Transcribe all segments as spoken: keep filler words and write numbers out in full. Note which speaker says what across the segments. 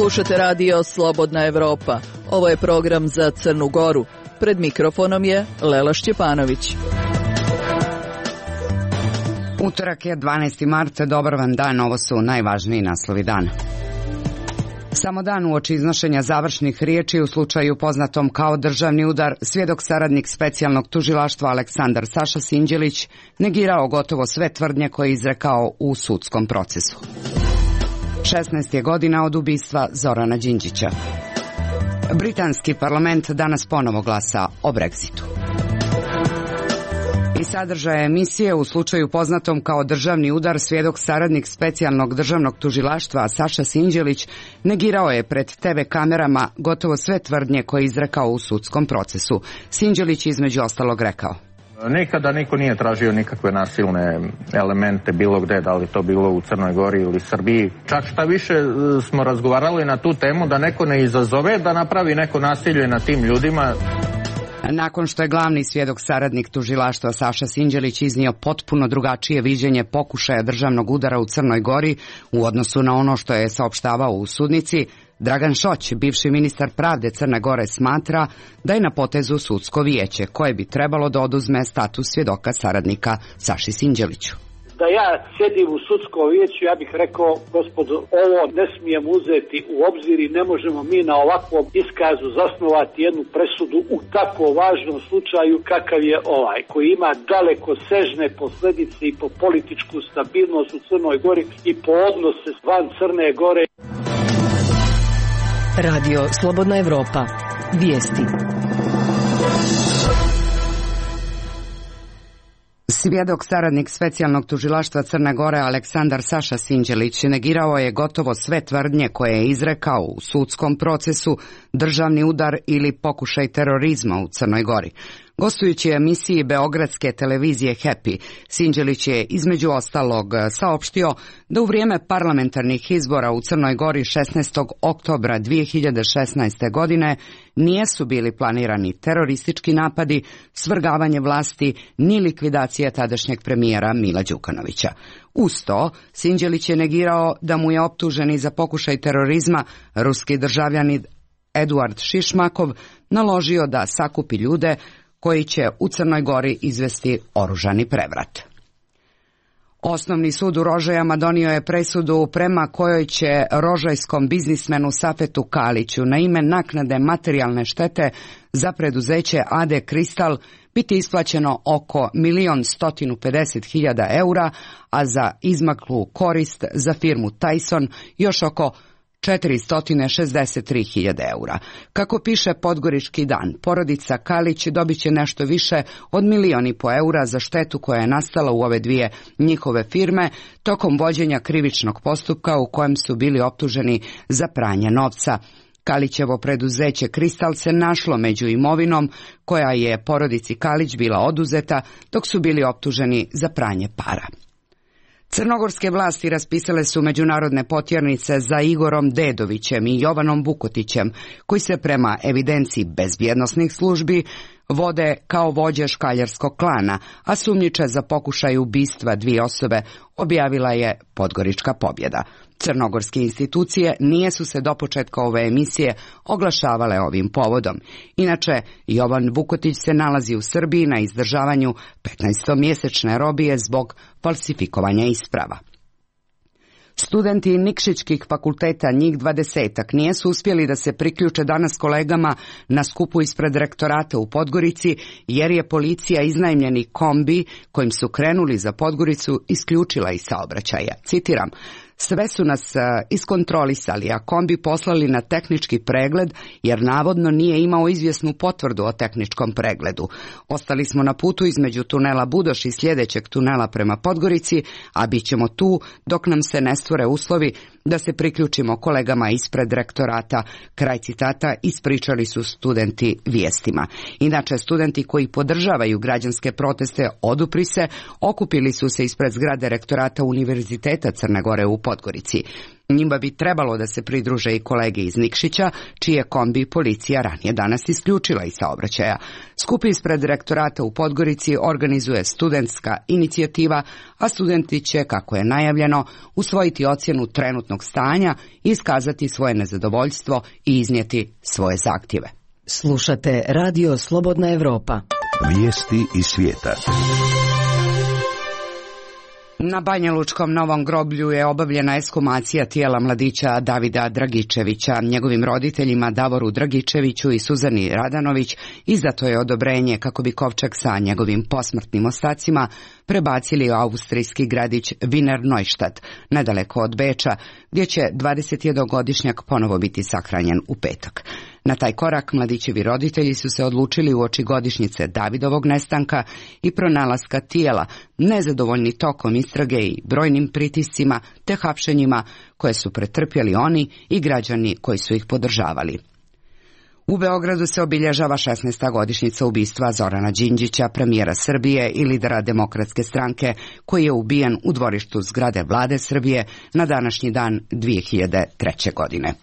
Speaker 1: Slušate radio Slobodna Evropa. Ovo je program za Crnu Goru. Pred mikrofonom je Lela Šćepanović.
Speaker 2: Utorak je dvanaesti mart, dobar vam dan, ovo su najvažniji naslovi dana. Samo dan uoči iznošenja završnih riječi u slučaju poznatom kao državni udar, svjedok saradnik specijalnog tužilaštva Aleksandar Saša Sinđelić negirao gotovo sve tvrdnje koje je izrekao u sudskom procesu. šesnaest je godina od ubistva Zorana Đinđića. Britanski parlament danas ponovo glasa o Brexitu. I sadržaje emisije u slučaju poznatom kao državni udar, svjedok saradnik specijalnog državnog tužilaštva Saša Sinđelić negirao je pred te ve kamerama gotovo sve tvrdnje koje je izrekao u sudskom procesu. Sinđelić između ostalog rekao:
Speaker 3: Nikada niko nije tražio nikakve nasilne elemente bilo gde, da li to bilo u Crnoj Gori ili Srbiji. Čak šta više smo razgovarali na tu temu da neko ne izazove da napravi neko nasilje na tim ljudima.
Speaker 2: Nakon što je glavni svjedok saradnik tužilaštva Saša Sinđelić iznio potpuno drugačije viđenje pokušaja državnog udara u Crnoj Gori u odnosu na ono što je saopštavao u sudnici, Dragan Šoć, bivši ministar pravde Crne Gore, smatra da je na potezu sudsko vijeće koje bi trebalo da oduzme status svjedoka saradnika Saši Sinđeliću.
Speaker 4: Da ja sjedim u sudskom vijeću, ja bih rekao: gospodo, ovo ne smijemo uzeti u obzir i ne možemo mi na ovakvom iskazu zasnovati jednu presudu u tako važnom slučaju kakav je ovaj, koji ima daleko sežne posljedice i po političku stabilnost u Crnoj Gori i po odnose van Crne Gore.
Speaker 5: Radio Slobodna Evropa. Vijesti.
Speaker 2: Svjedok saradnik specijalnog tužilaštva Crne Gore Aleksandar Saša Sinđelić negirao je gotovo sve tvrdnje koje je izrekao u sudskom procesu državni udar ili pokušaj terorizma u Crnoj Gori. Gostujući u emisiji beogradske televizije Happy, Sinđelić je između ostalog saopštio da u vrijeme parlamentarnih izbora u Crnoj Gori šesnaestog oktobra dvije hiljade šesnaeste. godine nijesu bili planirani teroristički napadi, svrgavanje vlasti ni likvidacija tadašnjeg premijera Mila Đukanovića. Uz to, Sinđelić je negirao da mu je optuženi za pokušaj terorizma ruski državljanin Eduard Šišmakov naložio da sakupi ljude koji će u Crnoj Gori izvesti oružani prevrat. Osnovni sud u Rožajama donio je presudu prema kojoj će rožajskom biznismenu Safetu Kaliću na ime naknade materijalne štete za preduzeće A D Kristal biti isplaćeno oko milion stotinu pedeset hiljada eura, a za izmaklu korist za firmu Tyson još oko četiristo šezdeset tri hiljade eura. Kako piše Podgorički dan, porodica Kalić dobit će nešto više od milion i po eura za štetu koja je nastala u ove dvije njihove firme tokom vođenja krivičnog postupka u kojem su bili optuženi za pranje novca. Kalićevo preduzeće Kristal se našlo među imovinom koja je porodici Kalić bila oduzeta dok su bili optuženi za pranje para. Crnogorske vlasti raspisale su međunarodne potjernice za Igorom Dedovićem i Jovanom Vukotićem, koji se prema evidenciji bezbjednosnih službi vode kao vođe škaljarskog klana, a sumnjiče za pokušaj ubistva dvije osobe, objavila je Podgorička pobjeda. Crnogorske institucije nije su se do početka ove emisije oglašavale ovim povodom. Inače, Jovan Vukotić se nalazi u Srbiji na izdržavanju petnaestomjesečne robije zbog falsifikovanja isprava. Studenti Nikšićkih fakulteta, njih dvadesetak, nijesu uspjeli da se priključe danas kolegama na skupu ispred rektorata u Podgorici, jer je policija iznajmljeni kombi kojim su krenuli za Podgoricu isključila iz saobraćaja. Citiram: sve su nas iskontrolisali, a kombi poslali na tehnički pregled jer navodno nije imao izvjesnu potvrdu o tehničkom pregledu. Ostali smo na putu između tunela Budoš i sljedećeg tunela prema Podgorici, a bit ćemo tu dok nam se ne stvore uslovi da se priključimo kolegama ispred rektorata. Kraj citata, ispričali su studenti vijestima. Inače, studenti koji podržavaju građanske proteste odupri se, okupili su se ispred zgrade rektorata Univerziteta Crne Gore u Podgorici. Njima bi trebalo da se pridruže i kolege iz Nikšića, čije kombi policija ranije danas isključila iz saobraćaja. Skup ispred rektorata u Podgorici organizuje studentska inicijativa, a studenti će, kako je najavljeno, usvojiti ocjenu trenutnog stanja, iskazati svoje nezadovoljstvo i iznijeti svoje zahtjeve.
Speaker 5: Slušate Radio Slobodna Evropa.
Speaker 6: Vijesti iz svijeta.
Speaker 2: Na Banjalučkom Novom groblju je obavljena ekshumacija tijela mladića Davida Dragičevića. Njegovim roditeljima Davoru Dragičeviću i Suzani Radanović izdato je odobrenje kako bi kovčeg sa njegovim posmrtnim ostacima prebacili u austrijski gradić Wiener Neustadt, nedaleko od Beča, gdje će dvadesetjednogodišnjak ponovo biti sahranjen u petak. Na taj korak mladićevi roditelji su se odlučili uoči godišnjice Davidovog nestanka i pronalaska tijela, nezadovoljni tokom istrage i brojnim pritiscima te hapšenjima koje su pretrpjeli oni i građani koji su ih podržavali. U Beogradu se obilježava šesnaesta godišnjica ubistva Zorana Đinđića, premijera Srbije i lidera Demokratske stranke, koji je ubijen u dvorištu zgrade Vlade Srbije na današnji dan dvije hiljade treće. godine.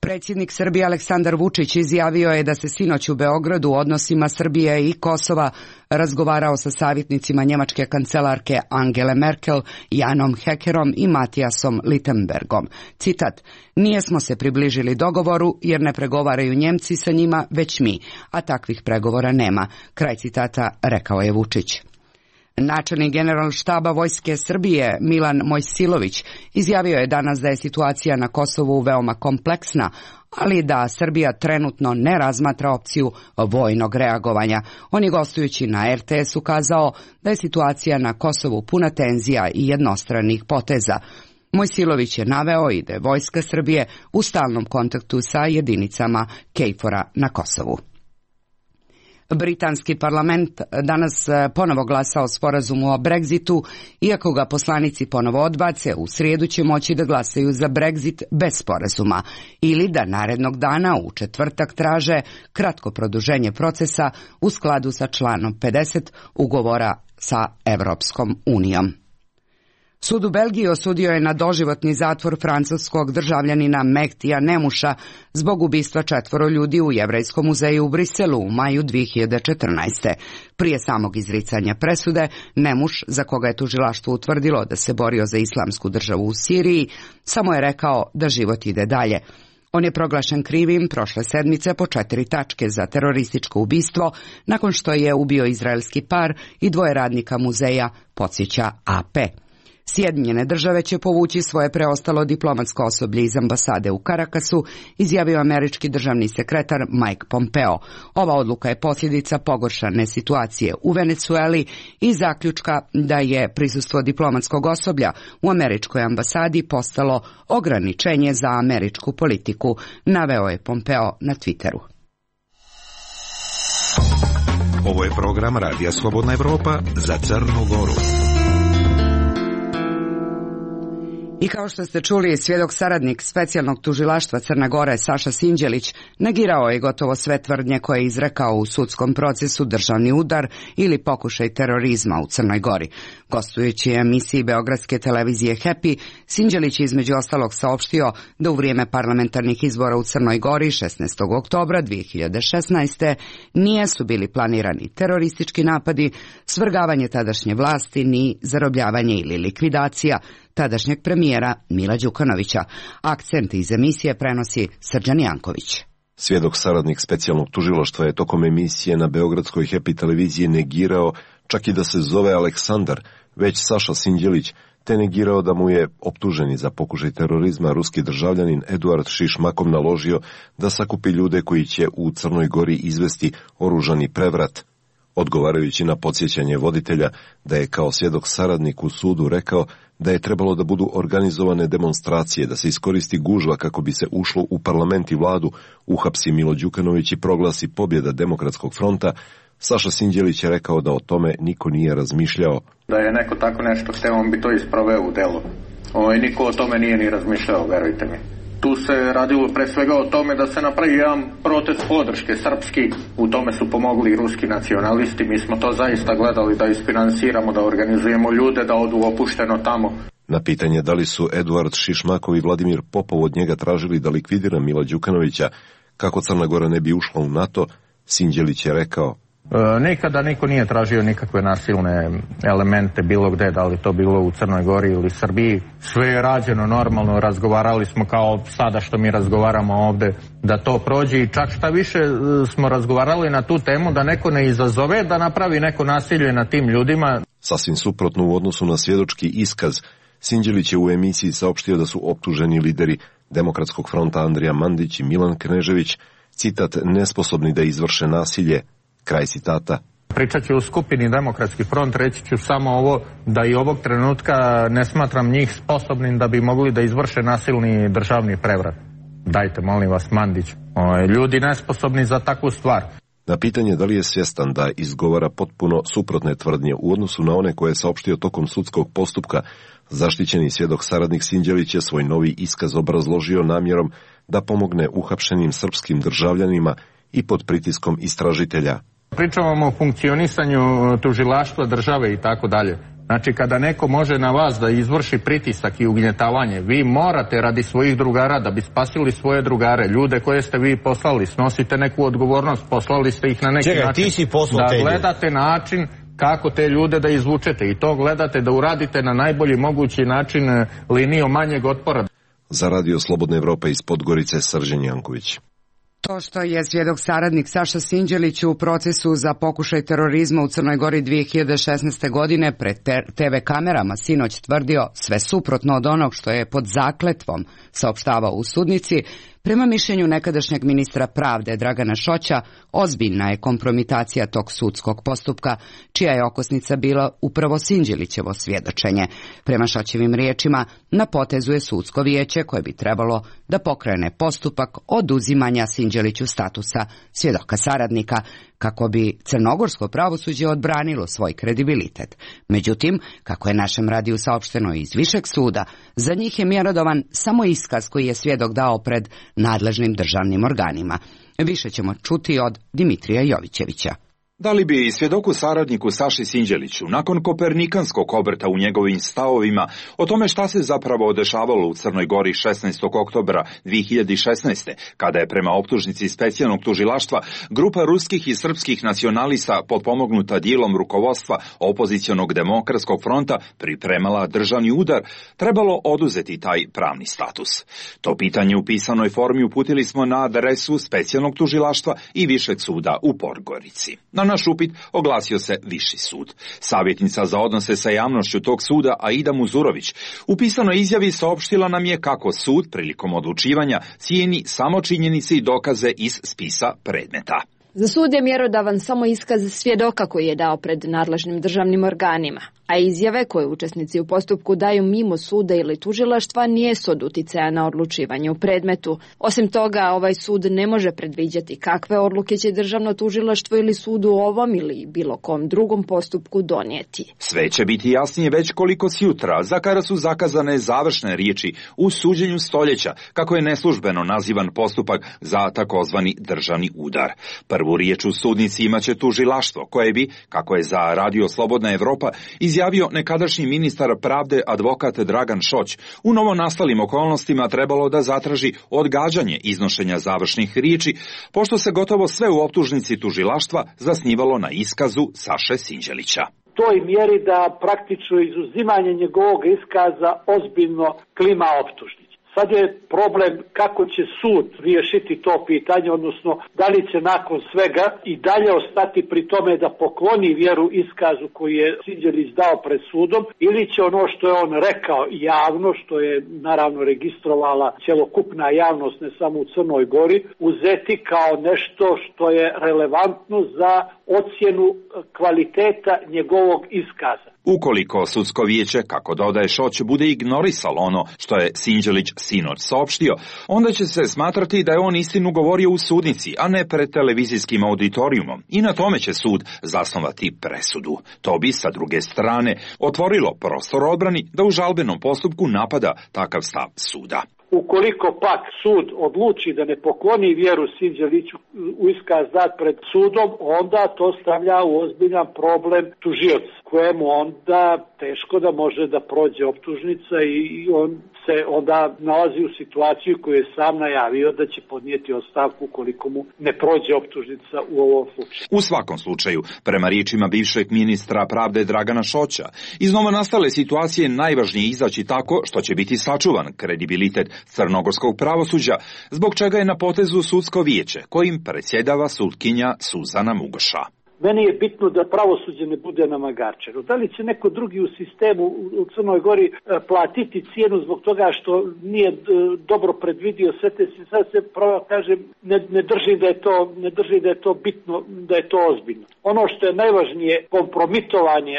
Speaker 2: Predsjednik Srbije Aleksandar Vučić izjavio je da se sinoć u Beogradu u odnosima Srbije i Kosova razgovarao sa savjetnicima njemačke kancelarke Angele Merkel, Janom Hekerom i Matijasom Littenbergom. Citat: "Nijesmo se približili dogovoru jer ne pregovaraju Njemci sa njima, već mi, a takvih pregovora nema." Kraj citata, rekao je Vučić. Načelnik Generalštaba Vojske Srbije Milan Mojsilović izjavio je danas da je situacija na Kosovu veoma kompleksna, ali da Srbija trenutno ne razmatra opciju vojnog reagovanja. On je gostujući na er te es ukazao da je situacija na Kosovu puna tenzija i jednostranih poteza. Mojsilović je naveo i da je Vojska Srbije u stalnom kontaktu sa jedinicama KFOR-a na Kosovu. Britanski parlament danas ponovo glasa o sporazumu o Brexitu, iako ga poslanici ponovo odbace, u srijedu će moći da glasaju za Brexit bez sporazuma ili da narednog dana u četvrtak traže kratko produženje procesa u skladu sa članom pedeset ugovora sa Evropskom unijom. Sud u Belgiji osudio je na doživotni zatvor francuskog državljanina Mehtija Nemuša zbog ubistva četvoro ljudi u Jevrejskom muzeju u Briselu u maju dvije hiljade četrnaeste. Prije samog izricanja presude, Nemuš, za koga je tužilaštvo utvrdilo da se borio za islamsku državu u Siriji, samo je rekao da život ide dalje. On je proglašen krivim prošle sedmice po četiri tačke za terorističko ubistvo, nakon što je ubio izraelski par i dvoje radnika muzeja, podsjeća A P. Sjedinjene države će povući svoje preostalo diplomatsko osoblje iz ambasade u Karakasu, izjavio američki državni sekretar Mike Pompeo. Ova odluka je posljedica pogoršane situacije u Venecueli i zaključka da je prisustvo diplomatskog osoblja u američkoj ambasadi postalo ograničenje za američku politiku, naveo je Pompeo na Twitteru.
Speaker 6: Ovo je program Radija Slobodna Evropa za Crnu Goru.
Speaker 2: I kao što ste čuli, svjedok saradnik specijalnog tužilaštva Crne Gore Saša Sinđelić negirao je gotovo sve tvrdnje koje je izrekao u sudskom procesu državni udar ili pokušaj terorizma u Crnoj Gori. Gostujući u emisiji beogradske televizije Happy, Sinđelić je između ostalog saopštio da u vrijeme parlamentarnih izbora u Crnoj Gori šesnaestog oktobra dvije hiljade šesnaeste. nijesu bili planirani teroristički napadi, svrgavanje tadašnje vlasti ni zarobljavanje ili likvidacija tadašnjeg premijera Mila Đukanovića. Akcent iz emisije prenosi Srđan Janković.
Speaker 7: Svjedok saradnik specijalnog tužilaštva je tokom emisije na beogradskoj Happy televiziji negirao čak i da se zove Aleksandar, već Saša Sinđelić, te negirao da mu je optuženi za pokušaj terorizma ruski državljanin Eduard Šišmakov naložio da sakupi ljude koji će u Crnoj Gori izvesti oružani prevrat. Odgovarajući na podsjećanje voditelja da je kao svjedok saradnik u sudu rekao da je trebalo da budu organizovane demonstracije, da se iskoristi gužva kako bi se ušlo u parlament i vladu, uhapsi Milo Đukanović i proglasi pobjeda Demokratskog fronta, Saša Sinđelić je rekao da o tome niko nije razmišljao.
Speaker 3: Da je neko tako nešto hteo, on bi to isproveo u delu. O, niko o tome nije ni razmišljao, verujte mi. Tu se radilo pre svega o tome da se napravi jedan protest podrške srpski. U tome su pomogli i ruski nacionalisti. Mi smo to zaista gledali da isfinansiramo, da organizujemo ljude, da odu opušteno tamo.
Speaker 7: Na pitanje da li su Eduard Šišmakov i Vladimir Popov od njega tražili da likvidira Mila Đukanovića kako Crna Gora ne bi ušla u NATO, Sinđelić je rekao:
Speaker 3: E, nikada niko nije tražio nikakve nasilne elemente bilo gde, da li to bilo u Crnoj Gori ili Srbiji. Sve je rađeno normalno, razgovarali smo kao sada što mi razgovaramo ovde, da to prođe i čak šta više smo razgovarali na tu temu da neko ne izazove da napravi neko nasilje na tim ljudima.
Speaker 7: Sasvim suprotno u odnosu na svjedočki iskaz, Sinđelić je u emisiji saopštio da su optuženi lideri Demokratskog fronta Andrija Mandić i Milan Knežević, citat, nesposobni da izvrše nasilje, kraj citata.
Speaker 3: Pričat ću u skupini Demokratski front, reći ću samo ovo, da i ovog trenutka ne smatram njih sposobnim da bi mogli da izvrše nasilni državni prevrat. Dajte, molim vas, Mandić, o, ljudi nesposobni za takvu stvar.
Speaker 7: Na pitanje da li je svjestan da izgovara potpuno suprotne tvrdnje u odnosu na one koje je saopštio tokom sudskog postupka, zaštićeni svjedok saradnik Sinđelić je svoj novi iskaz obrazložio namjerom da pomogne uhapšenim srpskim državljanima i pod pritiskom istražitelja.
Speaker 3: Pričamo o funkcionisanju tužilaštva države i tako dalje. Znači, kada neko može na vas da izvrši pritisak i ugnjetavanje, vi morate radi svojih drugara, da bi spasili svoje drugare, ljude koje ste vi poslali, snosite neku odgovornost, poslali ste ih na neki
Speaker 8: Čekaj,
Speaker 3: način.
Speaker 8: Ti si poslao
Speaker 3: da
Speaker 8: te
Speaker 3: gledate način kako te ljude da izvučete i to gledate da uradite na najbolji mogući način linijom manjeg otpora.
Speaker 7: Za Radio Slobodna Evropa iz Podgorice, Srđan Janković.
Speaker 2: To što je svjedok saradnik Saša Sinđelić u procesu za pokušaj terorizma u Crnoj Gori dvije hiljade šesnaeste. godine pred te ve kamerama sinoć tvrdio sve suprotno od onog što je pod zakletvom saopštavao u sudnici, prema mišljenju nekadašnjeg ministra pravde Dragana Šoća, ozbiljna je kompromitacija tog sudskog postupka, čija je okosnica bila upravo Sinđelićevo svjedočenje. Prema Šoćevim riječima, na potezu je sudsko vijeće koje bi trebalo da pokrene postupak oduzimanja Sinđeliću statusa svjedoka saradnika, kako bi crnogorsko pravosuđe odbranilo svoj kredibilitet. Međutim, kako je našem radiju saopšteno iz višeg suda, za njih je mjerodavan samo iskaz koji je svjedok dao pred nadležnim državnim organima. Više ćemo čuti od Dimitrija Jovićevića.
Speaker 9: Da li bi svjedoku saradniku Saši Sinđeliću, nakon kopernikanskog obrta u njegovim stavovima o tome šta se zapravo dešavalo u Crnoj Gori šesnaestog oktobra dvije hiljade šesnaeste. kada je prema optužnici specijalnog tužilaštva grupa ruskih i srpskih nacionalista potpomognuta dijelom rukovodstva opozicionog Demokratskog fronta pripremala državni udar, trebalo oduzeti taj pravni status? To pitanje u pisanoj formi uputili smo na adresu specijalnog tužilaštva i višeg suda u Podgorici. Na naš upit oglasio se Viši sud. Savjetnica za odnose sa javnošću tog suda, Aida Muzurović, u pisanoj izjavi saopštila nam je kako sud prilikom odlučivanja cijeni samo činjenice i dokaze iz spisa predmeta.
Speaker 10: Za sud je mjerodavan samo iskaz svjedoka koji je dao pred nadležnim državnim organima, a izjave koje učesnici u postupku daju mimo suda ili tužilaštva nijesu od uticaja na odlučivanje u predmetu. Osim toga, ovaj sud ne može predviđati kakve odluke će državno tužilaštvo ili sud u ovom ili bilo kom drugom postupku donijeti.
Speaker 9: Sve će biti jasnije već koliko sjutra, za kada su zakazane završne riječi u suđenju stoljeća, kako je neslužbeno nazivan postupak za takozvani državni udar. Prvu riječ u sudnici imaće tužilaštvo, koje bi, kako je za Radio Slobodna Evropa izjavio nekadašnji ministar pravde advokat Dragan Šoć, u novonastalim okolnostima trebalo da zatraži odgađanje iznošenja završnih riječi, pošto se gotovo sve u optužnici tužilaštva zasnivalo na iskazu Saše Sinđelića.
Speaker 4: Toj mjeri da praktično izuzimanje njegovog iskaza ozbiljno klima optužnici. Sad je problem kako će sud riješiti to pitanje, odnosno da li će nakon svega i dalje ostati pri tome da pokloni vjeru iskazu koji je Sinđelić dao pred sudom, ili će ono što je on rekao javno, što je naravno registrovala cjelokupna javnost, ne samo u Crnoj Gori, uzeti kao nešto što je relevantno za ocjenu kvaliteta njegovog iskaza.
Speaker 9: Ukoliko sudsko vijeće, kako dodaje Šoć, bude ignorisalo ono što je Sinđelić sinoć saopštio, onda će se smatrati da je on istinu govorio u sudnici, a ne pred televizijskim auditorijumom, i na tome će sud zasnovati presudu. To bi, sa druge strane, otvorilo prostor odbrani da u žalbenom postupku napada takav stav suda.
Speaker 4: Ukoliko pak sud odluči da ne pokloni vjeru Sinđeliću u iskaz dat pred sudom, onda to stavlja u ozbiljan problem tužioca, kojemu onda teško da može da prođe optužnica i on se onda nalazi u situaciju koju je sam najavio da će podnijeti ostavku ukoliko mu ne prođe optužnica u ovom slučaju.
Speaker 9: U svakom slučaju, prema riječima bivšeg ministra pravde Dragana Šoća, iz novonastale situacije najvažnije izaći tako što će biti sačuvan kredibilitet crnogorskog pravosuđa, zbog čega je na potezu sudsko vijeće, kojim predsjedava sutkinja Suzana Mugoša.
Speaker 4: Meni je bitno da pravosuđe ne bude namagarčeno. Da li će neko drugi u sistemu u Crnoj Gori platiti cijenu zbog toga što nije dobro predvidio sve te situacije, sad se pravo kažem, ne, ne držim da je to, ne držim da je to bitno, da je to ozbiljno. Ono što je najvažnije, kompromitovanje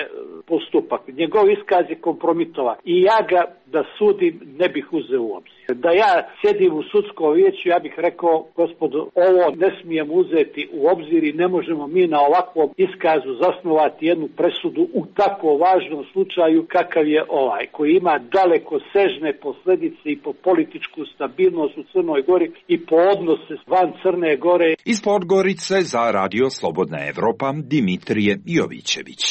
Speaker 4: postupak. Njegov iskaz je kompromitovan i ja ga da sudim ne bih uzeo u obzir. Da ja sjedim u sudskom vijeću, ja bih rekao, gospodo, ovo ne smijem uzeti u obzir i ne možemo mi na ovakvom iskazu zasnovati jednu presudu u tako važnom slučaju kakav je ovaj, koji ima daleko sežne posljedice i po političku stabilnost u Crnoj Gori i po odnose van Crne Gore.
Speaker 9: Iz Podgorice za Radio Slobodna Evropa Dimitrije Jovićević.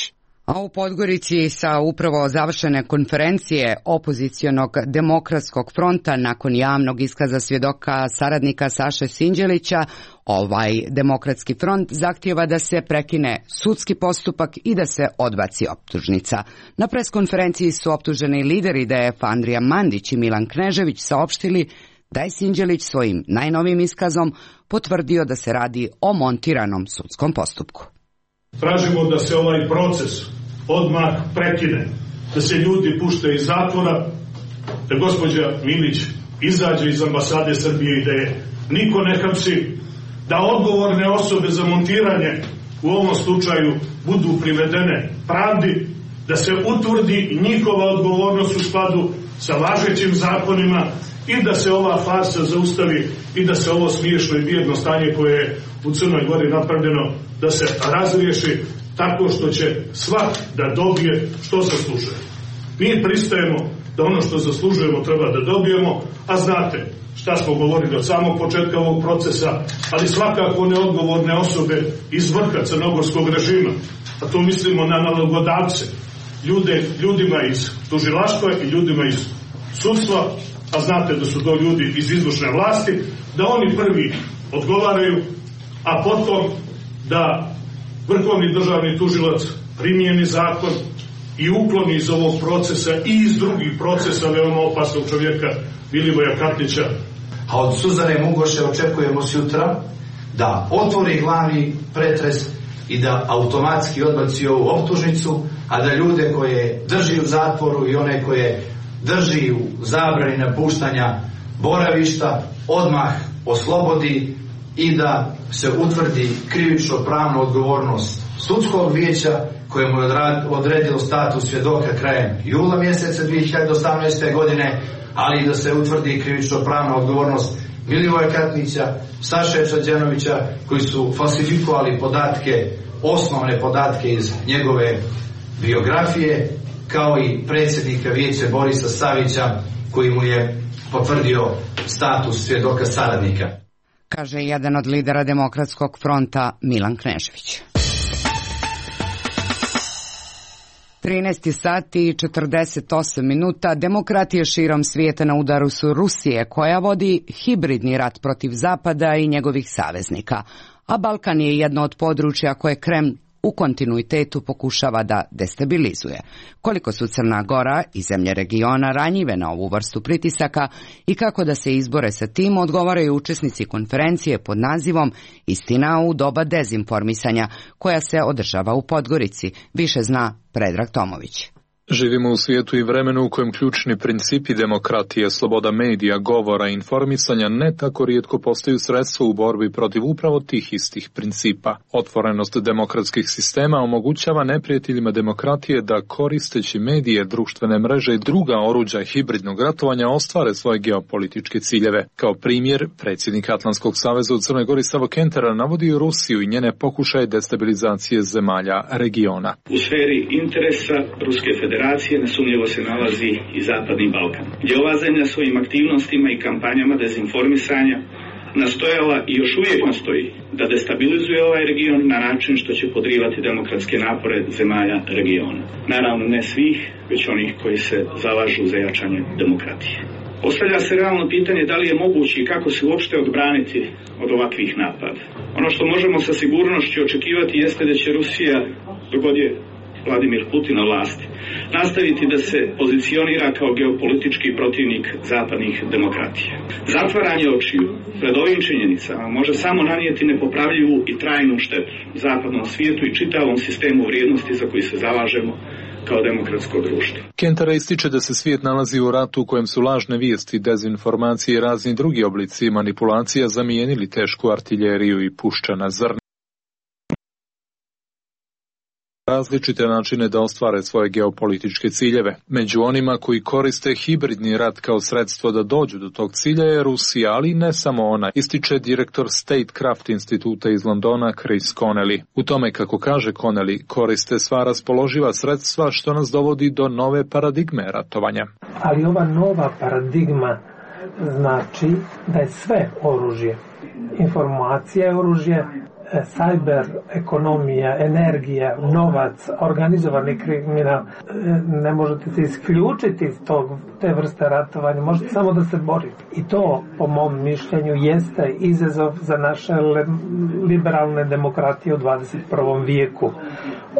Speaker 2: A u Podgorici sa upravo završene konferencije opozicionog demokratskog fronta nakon javnog iskaza svjedoka saradnika Saše Sinđelića, ovaj demokratski front zahtijeva da se prekine sudski postupak i da se odbaci optužnica. Na preskonferenciji su optuženi lideri D F Andrija Mandić i Milan Knežević saopštili da je Sinđelić svojim najnovim iskazom potvrdio da se radi o montiranom sudskom postupku.
Speaker 8: Tražimo da se ovaj proces odmah prekine, da se ljudi puštaju iz zatvora, da gospođa Milić izađe iz ambasade Srbije i da je niko ne hapsi, da odgovorne osobe za montiranje u ovom slučaju budu privedene pravdi, da se utvrdi njihova odgovornost u skladu sa važećim zakonima i da se ova farsa zaustavi i da se ovo smiješno i bijedno stanje koje je u Crnoj Gori napravljeno da se razriješi tako što će svak da dobije što zaslužuje. Mi pristajemo da ono što zaslužujemo treba da dobijemo, a znate šta smo govorili od samog početka ovog procesa, ali svakako neodgovorne osobe iz vrha crnogorskog režima, a to mislimo na nalogodavce, ljude, ljudima iz tužilaštva i ljudima iz sudstva, a znate da su to ljudi iz izvršne vlasti, da oni prvi odgovaraju, a potom da vrhovni državni tužilac primijeni zakon i ukloni iz ovog procesa i iz drugih procesa veoma opasnog čovjeka Milivoja Katnića.
Speaker 11: A od Suzane Mugoše očekujemo sutra da otvori glavni pretres i da automatski odbaci ovu optužnicu, a da ljude koje drži u zatvoru i one koje drži u zabrani napuštanja boravišta odmah oslobodi i da se utvrdi krivično pravna odgovornost sudskog vijeća koje mu je odredilo status svjedoka krajem jula mjeseca dvije hiljade osamnaeste. godine, ali i da se utvrdi krivično pravna odgovornost Milivoja Katnića, Saše Čađanovića, koji su falsifikovali podatke, osnovne podatke iz njegove biografije, kao i predsjednika vijeća Borisa Savića, koji mu je potvrdio status svjedoka saradnika.
Speaker 2: Kaže jedan od lidera demokratskog fronta Milan Knežević. trinaest sati i četrdeset osam minuta. Demokratije širom svijeta na udaru su Rusije, koja vodi hibridni rat protiv Zapada i njegovih saveznika. A Balkan je jedno od područja koje Kreml u kontinuitetu pokušava da destabilizuje. Koliko su Crna Gora i zemlje regiona ranjive na ovu vrstu pritisaka i kako da se izbore sa tim, odgovaraju učesnici konferencije pod nazivom Istina u doba dezinformisanja, koja se održava u Podgorici. Više zna Predrag Tomović.
Speaker 12: Živimo u svijetu i vremenu u kojem ključni principi demokratije, sloboda medija, govora i informisanja ne tako rijetko postaju sredstvo u borbi protiv upravo tih istih principa. Otvorenost demokratskih sistema omogućava neprijateljima demokratije da, koristeći medije, društvene mreže i druga oruđa hibridnog ratovanja, ostvare svoje geopolitičke ciljeve. Kao primjer, predsjednik Atlantskog saveza u Crnoj Gori Savo Kentera navodi Rusiju i njene pokušaje destabilizacije zemalja regiona.
Speaker 13: U sferi interesa Ruske federacije federacije nesumnjivo se nalazi i Zapadni Balkan, gdje ova zemlja svojim aktivnostima i kampanjama dezinformisanja nastojala i još uvijek nastoji da destabilizuje ovaj region na način što će podrivati demokratske napore zemalja regiona. Naravno ne svih, već onih koji se zalažu za jačanje demokratije. Postavlja se realno pitanje da li je moguće i kako se uopšte odbraniti od ovakvih napada. Ono što možemo sa sigurnošću očekivati jeste da će Rusija, dok god je Vladimir Putin na vlasti, nastaviti da se pozicionira kao geopolitički protivnik zapadnih demokratija. Zatvaranje očiju pred ovim činjenicama može samo nanijeti nepopravljivu i trajnu štetu zapadnom svijetu i čitavom sistemu vrijednosti za koji se zalažemo kao demokratsko društvo.
Speaker 12: Kentara ističe da se svijet nalazi u ratu u kojem su lažne vijesti, dezinformacije i razni drugi oblici manipulacija zamijenili tešku artiljeriju i puščana zrna. Različite načine da ostvare svoje geopolitičke ciljeve. Među onima koji koriste hibridni rat kao sredstvo da dođu do tog cilja je Rusija, ali ne samo ona, ističe direktor Statecraft instituta iz Londona Chris Connelly. U tome, kako kaže Connelly, koriste sva raspoloživa sredstva što nas dovodi do nove paradigme ratovanja.
Speaker 14: Ali ova nova paradigma znači da je sve oružje. Informacija je oružje, cyber ekonomija, energija, novac, organizovani kriminal. Ne možete se isključiti iz tog, te vrste ratovanja, možete samo da se borite. I to, po mom mišljenju, jeste izazov za naše liberalne demokratije u dvadeset prvom vijeku.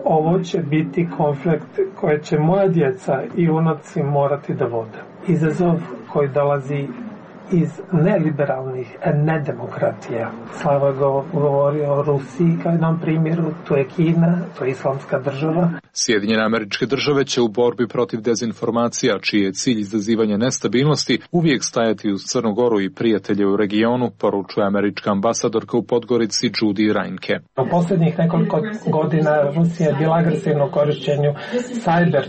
Speaker 14: Ovo će biti konflikt koje će moja djeca i unuci morati da vode. Izazov koji dolazi iz neliberalnih nedemokratija. Slava govori o Rusiji kao jednom primjeru, to je Kina, to je islamska država.
Speaker 12: Sjedinjene Američke Države će u borbi protiv dezinformacija, čiji je cilj izazivanje nestabilnosti, uvijek stajati uz Crnu Goru i prijatelje u regionu, poručuje američka ambasadorka u Podgorici Judy Reinke.
Speaker 14: U posljednjih nekoliko godina Rusija je bila agresivna u korišćenju cyber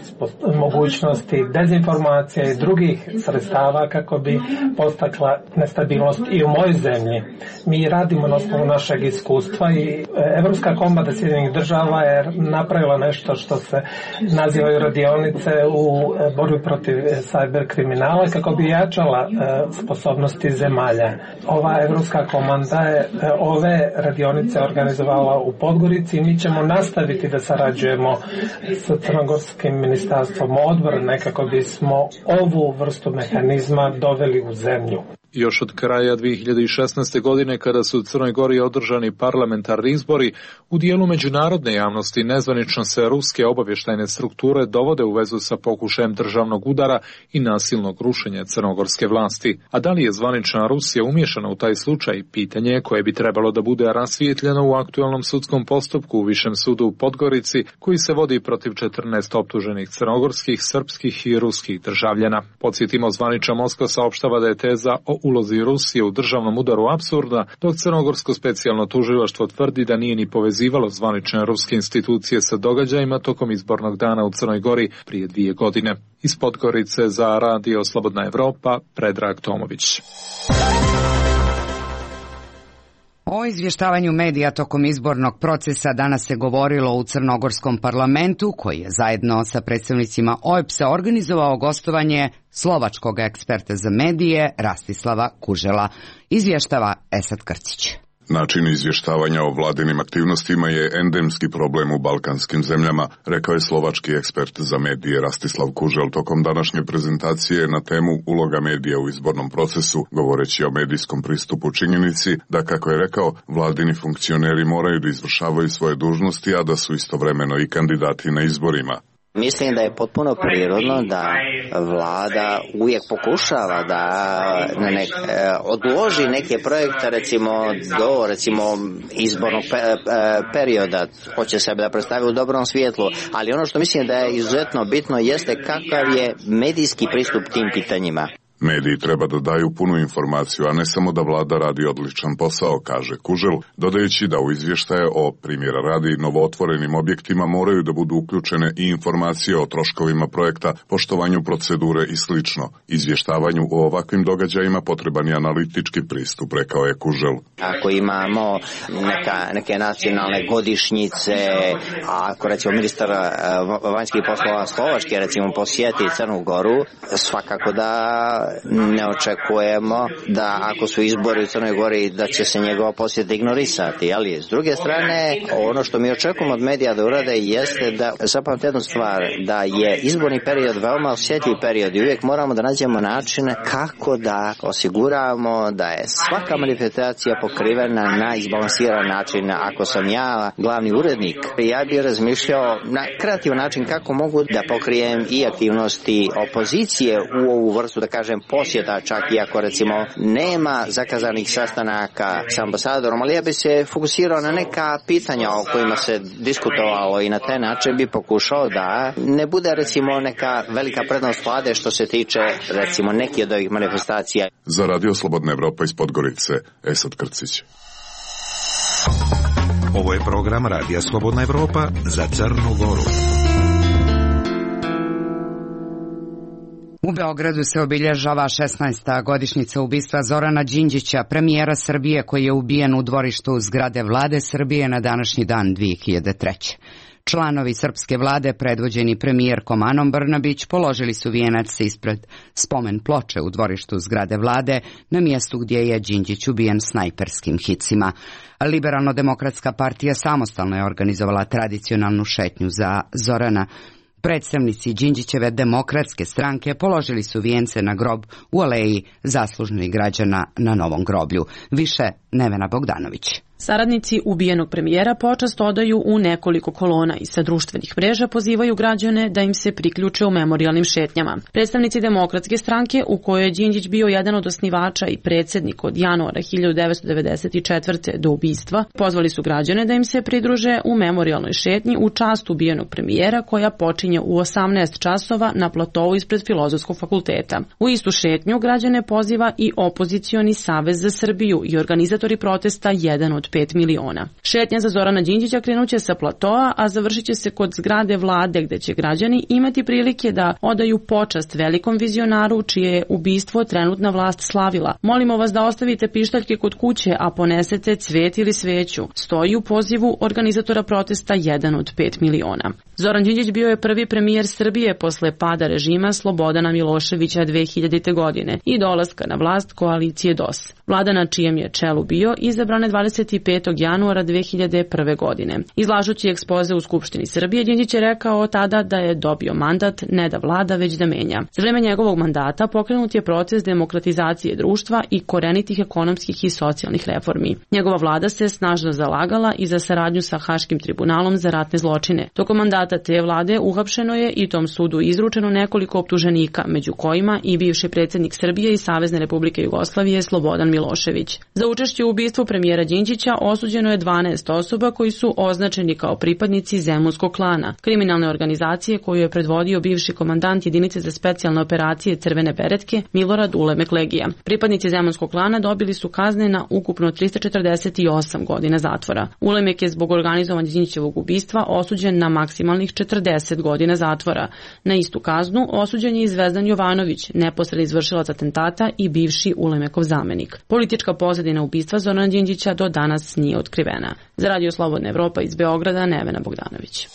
Speaker 14: mogućnosti, dezinformacija i drugih sredstava kako bi postakla nestabilnost i u mojoj zemlji. Mi radimo na osnovu našeg iskustva i Evropska komanda Sjedinjenih Država je napravila nešto što se nazivaju radionice u borbi protiv cyber kriminala kako bi jačala sposobnosti zemalja. Ova Evropska komanda je ove radionice organizovala u Podgorici i mi ćemo nastaviti da sarađujemo sa Crnogorskim ministarstvom odbrane kako bismo ovu vrstu mehanizma doveli u zemlju.
Speaker 12: Još od kraja dvije hiljade šesnaeste. godine, kada su u Crnoj Gori održani parlamentarni izbori, u dijelu međunarodne javnosti nezvanično se ruske obavještajne strukture dovode u vezu sa pokušajem državnog udara i nasilnog rušenja crnogorske vlasti. A da li je zvanična Rusija umiješana u taj slučaj, pitanje koje bi trebalo da bude rasvijetljeno u aktualnom sudskom postupku u Višem sudu u Podgorici, koji se vodi protiv četrnaest optuženih crnogorskih, srpskih i ruskih državljana. Podsjetimo, zvanična Moskva saopštava da je teza o ulozi Rusije u državnom udaru apsurda, dok crnogorsko specijalno tužilaštvo tvrdi da nije ni povezivalo zvanične ruske institucije sa događajima tokom izbornog dana u Crnoj Gori prije dvije godine. Iz Podgorice za Radio Slobodna Evropa, Predrag Tomović.
Speaker 2: O izvještavanju medija tokom izbornog procesa danas se govorilo u crnogorskom parlamentu, koji je zajedno sa predstavnicima O E B S-a organizovao gostovanje slovačkog eksperta za medije Rastislava Kužela. Izvještava Esad Krcić.
Speaker 15: Način izvještavanja o vladinim aktivnostima je endemski problem u balkanskim zemljama, rekao je slovački ekspert za medije Rastislav Kužel tokom današnje prezentacije na temu uloga medija u izbornom procesu, govoreći o medijskom pristupu činjenici da, kako je rekao, vladini funkcioneri moraju da izvršavaju svoje dužnosti, a da su istovremeno i kandidati na izborima.
Speaker 16: Mislim da je potpuno prirodno da vlada uvijek pokušava da ne, odloži neke projekte recimo do recimo izbornog pe, perioda, hoće sebe da predstavi u dobrom svjetlu, ali ono što mislim da je izuzetno bitno jeste kakav je medijski pristup tim pitanjima.
Speaker 15: Mediji treba da daju punu informaciju, a ne samo da vlada radi odličan posao, kaže Kužel, dodajući da u izvještaje o, primjera radi, novootvorenim objektima moraju da budu uključene i informacije o troškovima projekta, poštovanju procedure i slično. Izvještavanju o ovakvim događajima potreban je analitički pristup, rekao je Kužel.
Speaker 16: Ako imamo neka, neke nacionalne godišnjice, a ako recimo ministar vanjskih poslova Slovačke recimo posjeti Crnu Goru, svakako da ne očekujemo da ako su izbori u Crnoj Gori da će se njegova posjeta ignorisati, ali s druge strane ono što mi očekujemo od medija da urade jeste da zapamte jednu stvar, da je izborni period veoma osjetljiv period i uvijek moramo da nađemo načine kako da osiguramo da je svaka manifestacija pokrivena na izbalansiran način. Ako sam ja glavni urednik, ja bih razmišljao na kreativan način kako mogu da pokrijem i aktivnosti opozicije u ovu vrstu, da kažem, posjeta, čak i ako recimo nema zakazanih sastanaka s ambasadorom, ali ja bi se fokusirao na neka pitanja o kojima se diskutovalo i na taj način bi pokušao da ne bude recimo neka velika prednost vlade što se tiče recimo neki od ovih manifestacija.
Speaker 15: Za Radio Slobodna Evropa iz Podgorice, Esad Krcić.
Speaker 6: Ovo je program Radija Slobodna Evropa za Crnu Goru.
Speaker 2: U Beogradu se obilježava šesnaesta godišnjica ubistva Zorana Đinđića, premijera Srbije koji je ubijen u dvorištu zgrade vlade Srbije na današnji dan dve hiljade treće. Članovi srpske vlade, predvođeni premijerkom Anom Brnabić, položili su vijenac ispred spomen ploče u dvorištu zgrade vlade na mjestu gdje je Đinđić ubijen snajperskim hicima. Liberalno-demokratska partija samostalno je organizovala tradicionalnu šetnju za Zorana. Predstavnici Đinđićeve demokratske stranke položili su vijence na grob u aleji zaslužnih građana na Novom groblju. Više Nevena Bogdanović.
Speaker 17: Saradnici ubijenog premijera počast odaju u nekoliko kolona i sa društvenih mreža pozivaju građane da im se priključe u memorijalnim šetnjama. Predstavnici demokratske stranke, u kojoj je Đinđić bio jedan od osnivača i predsjednik od januara hiljadu devetsto devedeset četvrte do ubistva, pozvali su građane da im se pridruže u memorijalnoj šetnji u čast ubijenog premijera koja počinje u osamnaest časova na platovu ispred Filozofskog fakulteta. U istu šetnju građane poziva i opozicioni Savez za Srbiju i organizatori protesta jedan od pet miliona. Šetnja za Zorana Đinđića krenuće sa platoa, a završit će se kod zgrade vlade gde će građani imati prilike da odaju počast velikom vizionaru čije je ubistvo trenutna vlast slavila. Molimo vas da ostavite pištaljke kod kuće, a ponesete cvet ili sveću. Stoji u pozivu organizatora protesta jedan od pet miliona. Zoran Đinđić bio je prvi premijer Srbije posle pada režima Slobodana Miloševića dve hiljadite godine i dolaska na vlast koalicije D O S. Vlada na čijem je čelu bio izabrana dvadeset petog januara dve hiljade prve godine. Izlažući ekspoze u Skupštini Srbije, Đinđić je rekao tada da je dobio mandat ne da vlada, već da menja. Za vreme njegovog mandata pokrenut je proces demokratizacije društva i korenitih ekonomskih i socijalnih reformi. Njegova vlada se snažno zalagala i za saradnju sa Haškim tribunalom za ratne zločine. Tokom mandata te vlade uhapšeno je i tom sudu izručeno nekoliko optuženika, među kojima i bivši predsjednik Srbije i Savezne Republike Jugoslavije Slobodan Milošević. Za učešće u ubistvu premijera Đinđića osuđeno je dvanaest osoba koji su označeni kao pripadnici Zemunskog klana, kriminalne organizacije koju je predvodio bivši komandant jedinice za specijalne operacije Crvene beretke Milorad Ulemek Legija. Pripadnici Zemunskog klana dobili su kazne na ukupno trista četrdeset osam godina zatvora. Ulemek je zbog organizovanja Đinđićevog ubistva osuđen na maksimalnih četrdeset godina zatvora. Na istu kaznu osuđen je i Zvezdan Jovanović, neposredni izvršilac atentata i bivši Ulemekov zamenik. Politička pozadina ubistva Zorana Đinđića do danas nije otkrivena. Za Radio Slobodna Evropa iz Beograda, Nevena Bogdanović.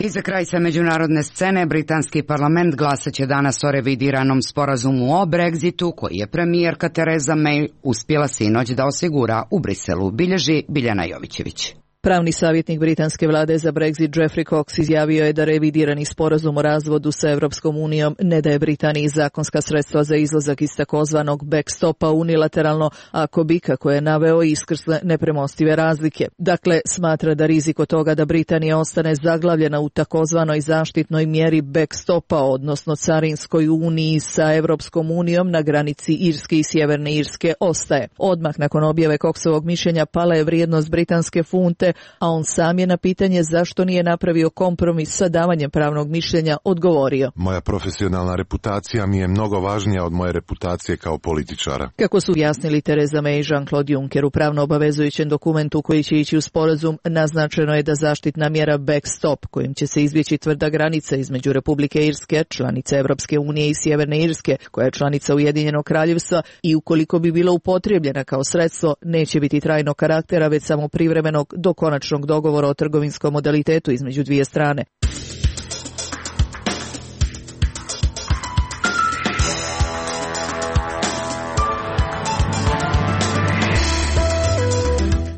Speaker 2: I za kraj sa međunarodne scene, britanski parlament glasaće danas o revidiranom sporazumu o Brexitu koji je premijerka Tereza May uspjela sinoć da osigura u Briselu, bilježi Biljana Jovićević.
Speaker 1: Pravni savjetnik britanske vlade za Brexit Jeffrey Cox izjavio je da revidirani sporazum o razvodu sa Evropskom unijom ne daje Britaniji zakonska sredstva za izlazak iz takozvanog backstopa unilateralno, ako bi, kako je naveo, iskrsle nepremostive razlike. Dakle, smatra da rizik od toga da Britanija ostane zaglavljena u takozvanoj zaštitnoj mjeri backstopa, odnosno carinskoj uniji sa Evropskom unijom na granici Irske i Sjeverne Irske, ostaje. Odmah nakon objave Coxovog mišljenja pala je vrijednost britanske funte, a on sam je na pitanje zašto nije napravio kompromis sa davanjem pravnog mišljenja odgovorio.
Speaker 18: Moja profesionalna reputacija mi je mnogo važnija od moje reputacije kao političara.
Speaker 1: Kako su jasnili Theresa May i Jean-Claude Juncker u pravno obavezujućem dokumentu koji će ići u sporazum, naznačeno je da zaštitna mjera backstop, kojim će se izbjeći tvrda granica između Republike Irske, članice Evropske unije, i Sjeverne Irske, koja je članica Ujedinjenog kraljevstva, i ukoliko bi bila upotrijebljena kao sredstvo, neće biti trajnog karaktera, već samo privremenog do konačnog dogovora o trgovinskom modalitetu između dvije strane.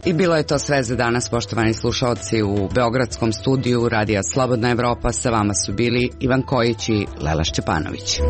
Speaker 2: I bilo je to sve za danas, poštovani slušalci. U beogradskom studiju Radija Slobodna Evropa sa vama su bili Ivan Kojić i Lela Šćepanović.